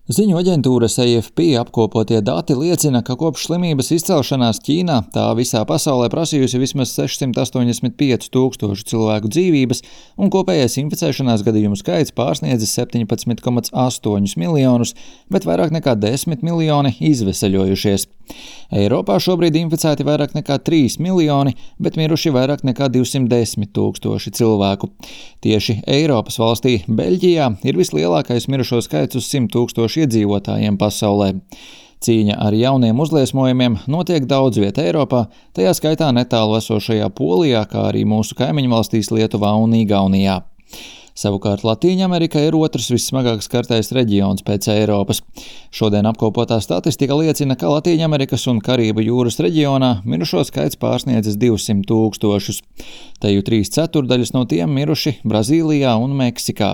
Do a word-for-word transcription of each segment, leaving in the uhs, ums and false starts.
Ziņu aģentūras A F P apkopotie dati liecina, ka kopš slimības izcelšanās Ķīnā tā visā pasaulē prasījusi vismaz sešsimt astoņdesmit pieci tūkstoši cilvēku dzīvības, un kopējais inficēšanās gadījumu skaits pārsniedzis septiņpadsmit komats astoņi miljonus, bet vairāk nekā desmit miljoni izveseļojušies. Eiropā šobrīd inficēti vairāk nekā trīs miljoni, bet miruši vairāk nekā divsimt desmit tūkstoši cilvēku. Tieši Eiropas valstī Beļģijā ir vislielākais mirušo skaits uz simt tūkstošu iedzīvotājiem pasaulē. Cīņa ar jauniem uzliesmojumiem notiek daudz vietā Eiropā, tajā skaitā netālu esošajā Polijā, kā arī mūsu kaimiņu valstīs Lietuvā un Igaunijā. Savukārt Latīņamerika ir otrs vissmagāk skartais reģions pēc Eiropas. Šodien apkopotā statistika liecina, ka Latīņamerikas un Karību jūras reģionā mirušo skaits pārsniedzis divsimt tūkstošus. Teju trīs ceturdaļas no tiem miruši Brazīlijā un Meksikā.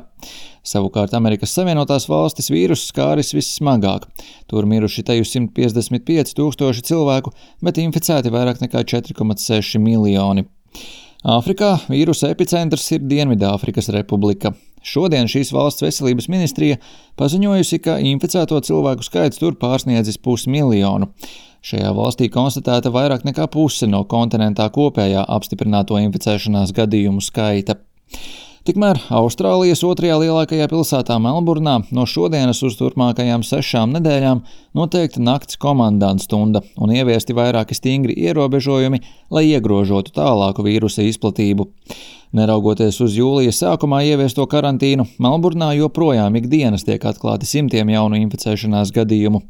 Savukārt Amerikas Savienotās valstis vīrusu skāris vissmagāk. Tur miruši teju simt piecdesmit pieci tūkstoši cilvēku, bet inficēti vairāk nekā četri komats seši miljoni. Āfrikā vīrusa epicentrs ir Dienvidāfrikas Republika. Šodien šīs valsts veselības ministrija paziņojusi, ka inficēto cilvēku skaits tur pārsniedzis pusmiljonu. Šajā valstī konstatēta vairāk nekā puse no kontinentā kopējā apstiprināto inficēšanās gadījumu skaita. Tikmēr Austrālijas otrajā lielākajā pilsētā Melburnā no šodienas uz turpmākajām sešām nedēļām noteikta nakts komandanta stunda un ieviesti vairāki stingri ierobežojumi, lai iegrožotu tālāku vīrusa izplatību. Neraugoties uz jūlija sākumā ieviesto karantīnu, Melburnā joprojām ikdienas tiek atklāti simtiem jaunu inficēšanās gadījumu.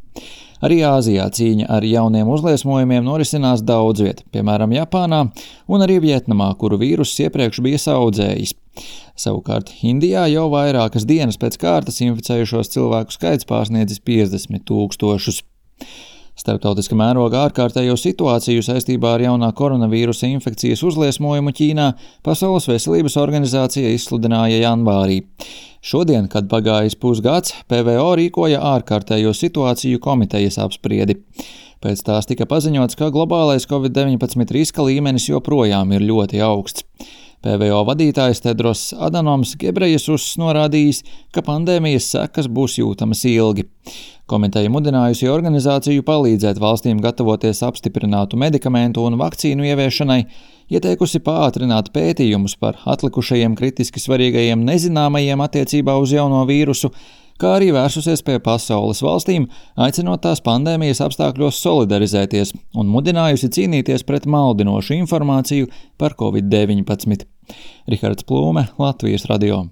Arī Āzijā cīņa ar jauniem uzliesmojumiem norisinās daudz viet, piemēram Japānā un arī Vjetnamā, kuru vīruss iepriekš bija saudzējis. Savukārt Indijā jau vairākas dienas pēc kārtas inficējušos cilvēku skaits pārsniedzis piecdesmit tūkstošus. Starptautiska mēroga ārkārtējo situāciju saistībā ar jaunā koronavīrusa infekcijas uzliesmojumu Ķīnā Pasaules veselības organizācija izsludināja janvārī. Šodien, kad pagājis pusgads, P V O rīkoja ārkārtējo situāciju komitejas apspriedi. Pēc tās tika paziņots, ka globālais covid deviņpadsmit riska līmenis joprojām ir ļoti augsts. P V O vadītājs Tedros Adanoms Gebrejesus norādījis, ka pandēmijas sekas būs jūtamas ilgi. Komiteja mudinājusi organizāciju palīdzēt valstīm gatavoties apstiprinātu medikamentu un vakcīnu ieviešanai, ieteikusi pātrināt pētījumus par atlikušajiem kritiski svarīgajiem nezināmajiem attiecībā uz jauno vīrusu, kā arī vērsusies pie pasaules valstīm, aicinot tās pandēmijas apstākļos solidarizēties un mudinājusi cīnīties pret maldinošu informāciju par covid deviņpadsmit. Rihards Plūme, Latvijas radio.